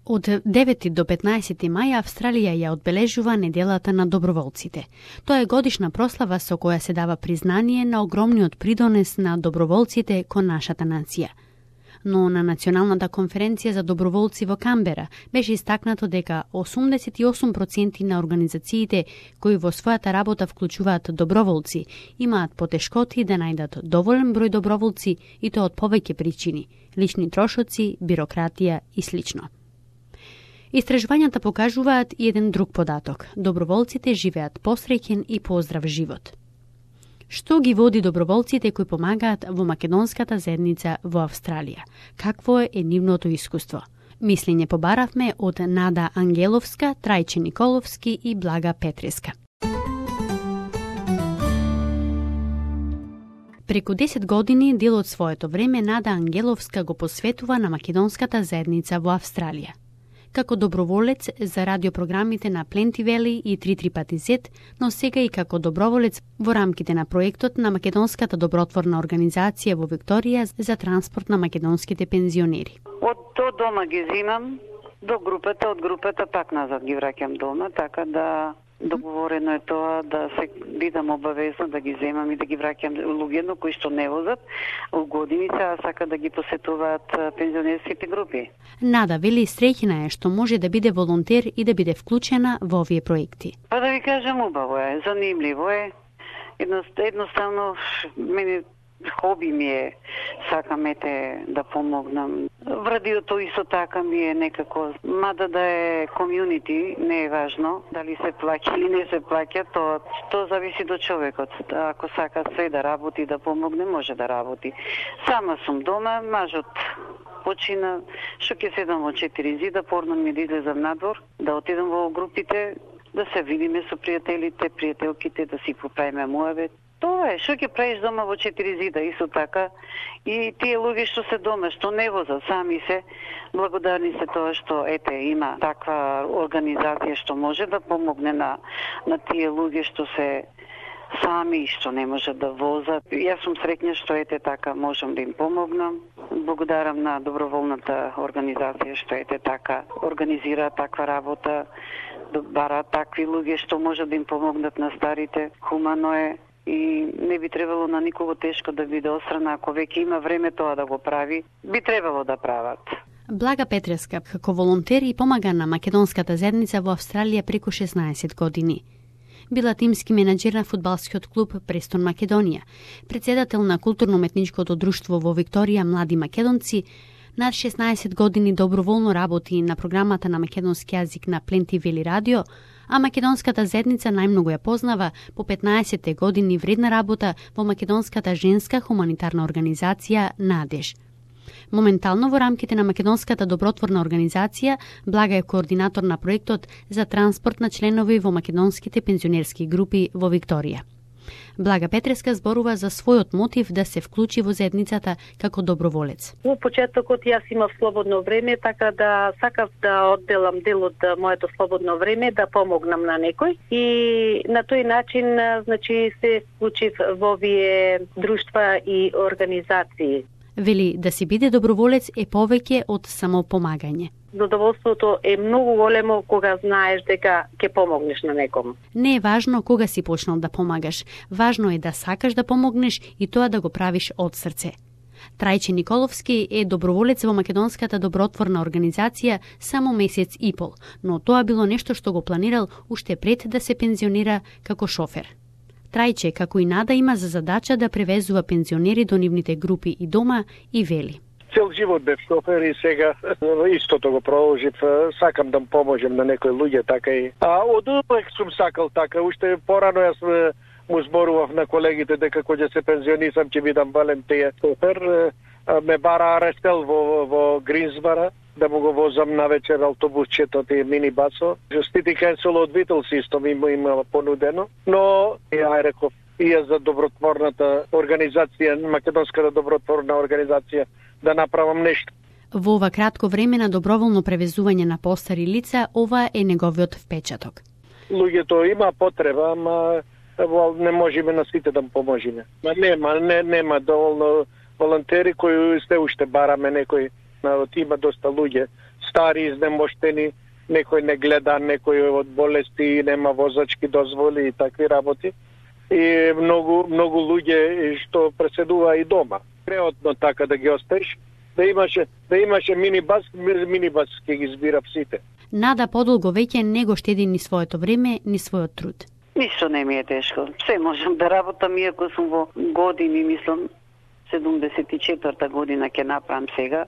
Од 9 до 15 мај Австралија ја одбележува неделата на доброволците. Тоа е годишна прослава со која се дава признание на огромниот придонес на доброволците кон нашата нација. Но на Националната конференција за доброволци во Камбера беше истакнато дека 88% на организациите кои во својата работа вклучуваат доброволци имаат потешкоти да најдат доволен број доброволци и тоа од повеќе причини – лични трошоци, бирократија и слично. Истражувањата покажуваат и еден друг податок. Доброволците живеат посреќен и поздрав живот. Што ги води доброволците кои помагаат во македонската заедница во Австралија? Какво е нивното искуство? Мислење побаравме од Нада Ангеловска, Трајче Николовски и Блага Петреска. Преку 10 години дел од своето време Нада Ангеловска го посветува на македонската заедница во Австралија. Како доброволец за радиопрограмите на Пленти Вели и 335Z, но сега и како доброволец во рамките на проектот на Македонската добротворна организација во Викторија за транспорт на македонските пензионери. Од дома ги земам до групата, од групата пак назад ги враќам дома, така да договорено е тоа да се бидам обавезна да ги земам и да ги враќам луѓето кои што не возат у годините, а сака да ги посетуваат пензионерските групи. Нада вели среќна е што може да биде волонтер и да биде вклучена во овие проекти. Па да ви кажам, убаво е, занимливо е. Едноставно мене хоби ми е, сакам да помогнам. В радиото исто така ми е некако, мада да е комјунити, не е важно дали се плаќа или не се плаќа, тоа зависи до човекот. Ако сака се да работи, да помогне, може да работи. Сама сум дома, мажот почина, што ќе седам во 4 зида, порно ми да излезам надвор, да отидам во групите, да се видиме со пријателите, пријателките, да си поправиме муавет. Тоа е, што ќе правиш дома во 4 зида, исто така. И тие луѓе што се дома, што не возат сами се, благодарни се тоа што има таква организација што може да помогне на тие луѓе што се сами и што не можат да возат. Јас сум среќна што така можам да им помогнам. Благодарам на доброволната организација што така организира таква работа, да бараат такви луѓе што можат да им помогнат на старите. Хумано е и не би требало на никого тешко да биде острана, ако веќе има време тоа да го прави, би требало да прават. Блага Петреска, како волонтер и помага на македонската заедница во Австралија преку 16 години. Била тимски менаџер на фудбалскиот клуб Престон Македонија, председател на културно-уметничкото друштво во Викторија Млади македонци, над 16 години доброволно работи на програмата на македонски јазик на Пленти Вели радио, а македонската заедница најмногу ја познава по 15 години вредна работа во македонската женска хуманитарна организација Надеж. Моментално во рамките на Македонската добротворна организација Блага е координатор на проектот за транспорт на членови во македонските пензионерски групи во Викторија. Блага Петреска зборува за својот мотив да се вклучи во заедницата како доброволец. Во почетокот јас имав слободно време, така да сакав да одделам дел од моето слободно време да помогнам на некој и на тој начин се вклучив во овие друштва и организации. Вели да си биде доброволец е повеќе од само помагање. Задоволството е многу големо кога знаеш дека ќе помогнеш на некому. Не е важно кога си почнал да помагаш, важно е да сакаш да помогнеш и тоа да го правиш од срце. Трајче Николовски е доброволец во Македонската добротворна организација само месец и пол, но тоа било нешто што го планирал уште пред да се пензионира како шофер. Трајче, како и Нада, има за задача да превезува пензионери до нивните групи и дома и вели. Цел живот бев шофер и сега истото го продолжив. Сакам да поможам на некои луѓе, така и. Од увек сум сакал така. Уште порано јас му зборував на колегите дека кога ќе се пензионисам ќе бидам волонтер шофер. Ме бара арестел во Гринсбара да му го возам на вечер автобусчето и минибасо. City Council од Витл систем има понудено, но ја реков и за добротворната организација, Македонската добротворна организација, да направам нешто. Во ова кратко време на доброволно превезување на постари лица, ова е неговиот впечаток. Луѓето има потреба, ама не можеме на сите да поможеме. Нема доволно волонтери кои сте уште бараме некои. Има доста луѓе стари, изнемоштени, некој не гледа, некој од болести, нема возачки дозволи и такви работи. И многу луѓе што преседува и дома. Преотно така да ги оставиш, да имаше минибас ќе ги збира сите. Нада подолго веќе не го штеди ни своето време, ни својот труд. Ништо не ми е тешко. Се можам да работам, иако сум во години, мислам, 74-та година ќе направам сега.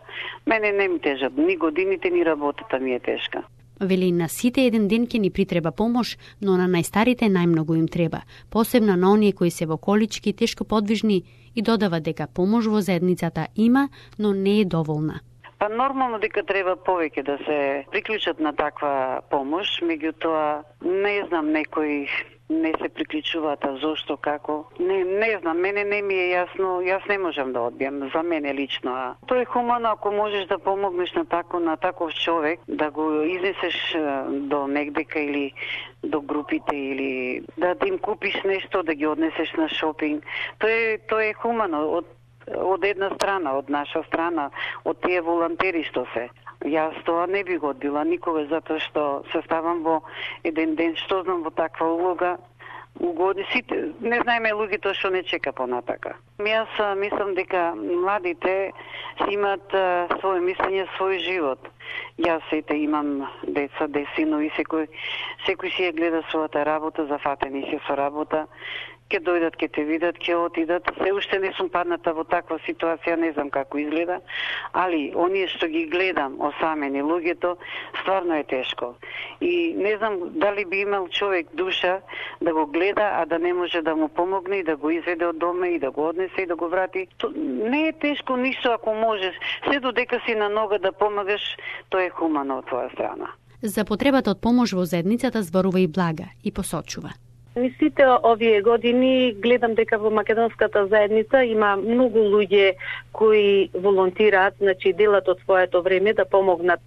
Мене не ми тежат ни годините, ни работата ми е тешка. Вели, на сите еден ден ќе ни притреба помош, но на најстарите најмногу им треба, посебно на оние кои се во колички, тешко подвижни, и додава дека помош во заедницата има, но не е доволна. Па нормално дека треба повеќе да се приклучат на таква помош, меѓутоа не знам, некои не се приклучуваат, зошто, како. Не знам, мене не ми е јасно, јас не можам да одбијам, за мене лично. Тоа е хумано ако можеш да помогнеш на таков човек, да го изнесеш до негдека или до групите, или да им купиш нешто, да ги однесеш на шопинг. Тоа е хумано од една страна, од наша страна, од тие волонтери што се. Јас тоа не би го одбила никога, затоа што се ставам во еден ден, што знам во таква улога, угоди сите, не знаеме луѓето што не чека понатака. Јас мислам дека младите си имаат своје мислење, свој живот. Јас сите имам деца, синови, секој си ја гледа својата работа, зафатени си со работа. Ке дојдат, ке те видат, ке отидат. Се уште не сум падната во таква ситуација, не знам како изгледа, али оние што ги гледам осамени луѓето, стварно е тешко. И не знам дали би имал човек душа да го гледа, а да не може да му помогне и да го изведе од дома и да го однесе и да го врати. Не е тешко ништо ако можеш. Се додека си на нога да помагаш, тоа е хумано од твоја страна. За потребата од помош во заедницата зборува и Блага и посочува. Низ сите овие години гледам дека во македонската заедница има многу луѓе кои волонтираат, значи делат од своето време да помогнат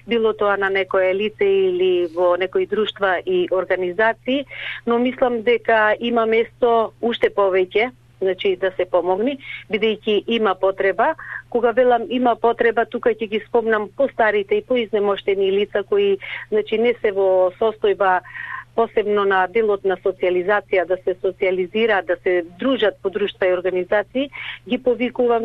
било тоа на некое лице или во некои друштва и организации, но мислам дека има место уште повеќе, значи да се помогне, бидејќи има потреба. Кога велам има потреба, тука ќе ги спомнам постарите и поизнемоштени лица кои значи не се во состојба посебно на делот на социализација, да се социализираат, да се дружат по друштва и организации, ги повикувам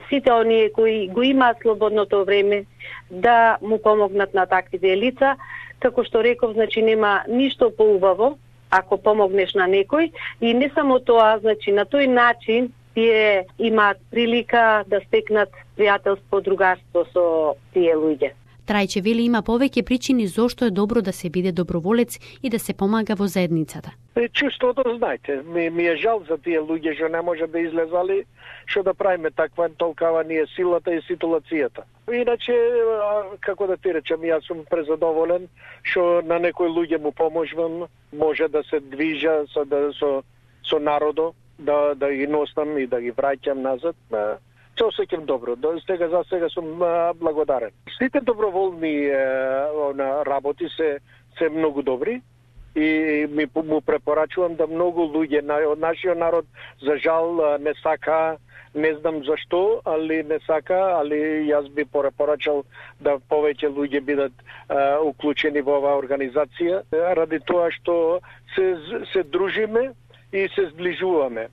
сите оние кои го имаат слободното време да му помогнат на таквите лица. Како што реков, значи нема ништо поубаво ако помогнеш на некој, и не само тоа, значи на тој начин тие имаат прилика да стекнат пријателство, другарство со тие луѓе. Трајче вели има повеќе причини зошто е добро да се биде доброволец и да се помага во заедницата. Чувството, знаете, ми е жал за тие луѓе што не може да излезали, што да правиме таква, толкава ни е силата и ситуацијата. Иначе, како да ти речем, јас сум презадоволен што на некои луѓе му поможувам, може да се движа со народо, да ги носам и да ги враќам назад. Се осеќам добро. За сега сум благодарен. Сите доброволни работи се многу добри и му препорачувам да многу луѓе од нашиот народ за жал не сака, не знам зашто, али не сака, али јас би препорачал да повеќе луѓе бидат уклучени во оваа организација, ради тоа што се дружиме и се зближуваме.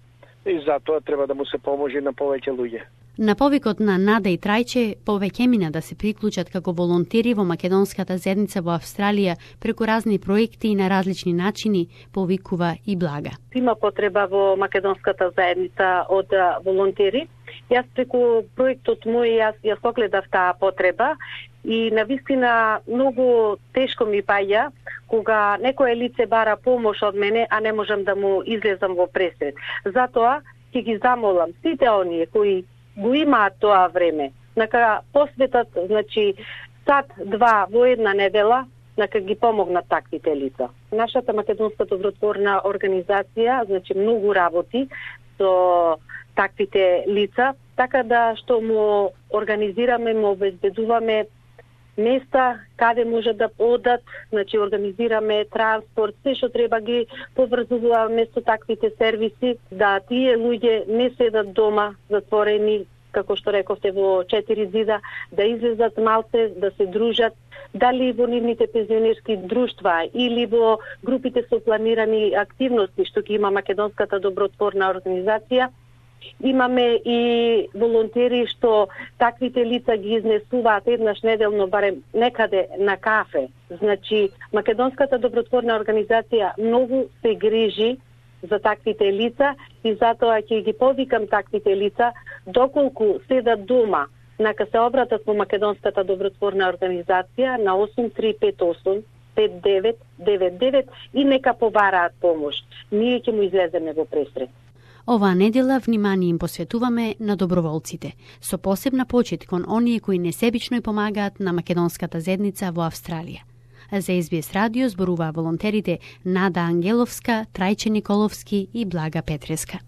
И затоа треба да му се поможи на повеќе луѓе. На повикот на Нада и Трајче, повеќе мина да се приклучат како волонтери во македонската заедница во Австралија преку разни проекти и на различни начини, повикува и Блага. Има потреба во македонската заедница од волонтери. Јас преку проектот мој јас огледав таа потреба и навистина многу тешко ми паѓа кога некое лице бара помош од мене, а не можам да му излезам во пресред. Затоа ќе ги замолам сите оние кои го имаат тоа време, нека посветат, значи, сат-два во една недела, нека ги помогнат таквите лица. Нашата македонска добротворна организација, значи, многу работи со таквите лица, така да што му организираме, му обезбедуваме места каде може да одат, значи организираме транспорт, се што треба ги поврзуваме со таквите сервиси, да тие луѓе не седат дома затворени како што рековте, во 4 зида, да излезат малце, да се дружат, дали во нивните пензионерски друштва или во групите со планирани активности што ги има Македонската добротворна организација. Имаме и волонтери што таквите лица ги изнесуваат еднаш неделно барем некаде на кафе. Значи, Македонската добротворна организација многу се грижи за таквите лица и затоа ќе ги повикам таквите лица доколку седат дома, нака се обратат во Македонската добротворна организација на 8358 5999 и нека побараат помош. Ние ќе му излеземе во пресрет. Оваа недела внимание им посветуваме на доброволците, со посебна почит кон оние кои несебично и помагаат на македонската заедница во Австралија. За SBS радио зборуваа волонтерите Нада Ангеловска, Трајче Николовски и Блага Петреска.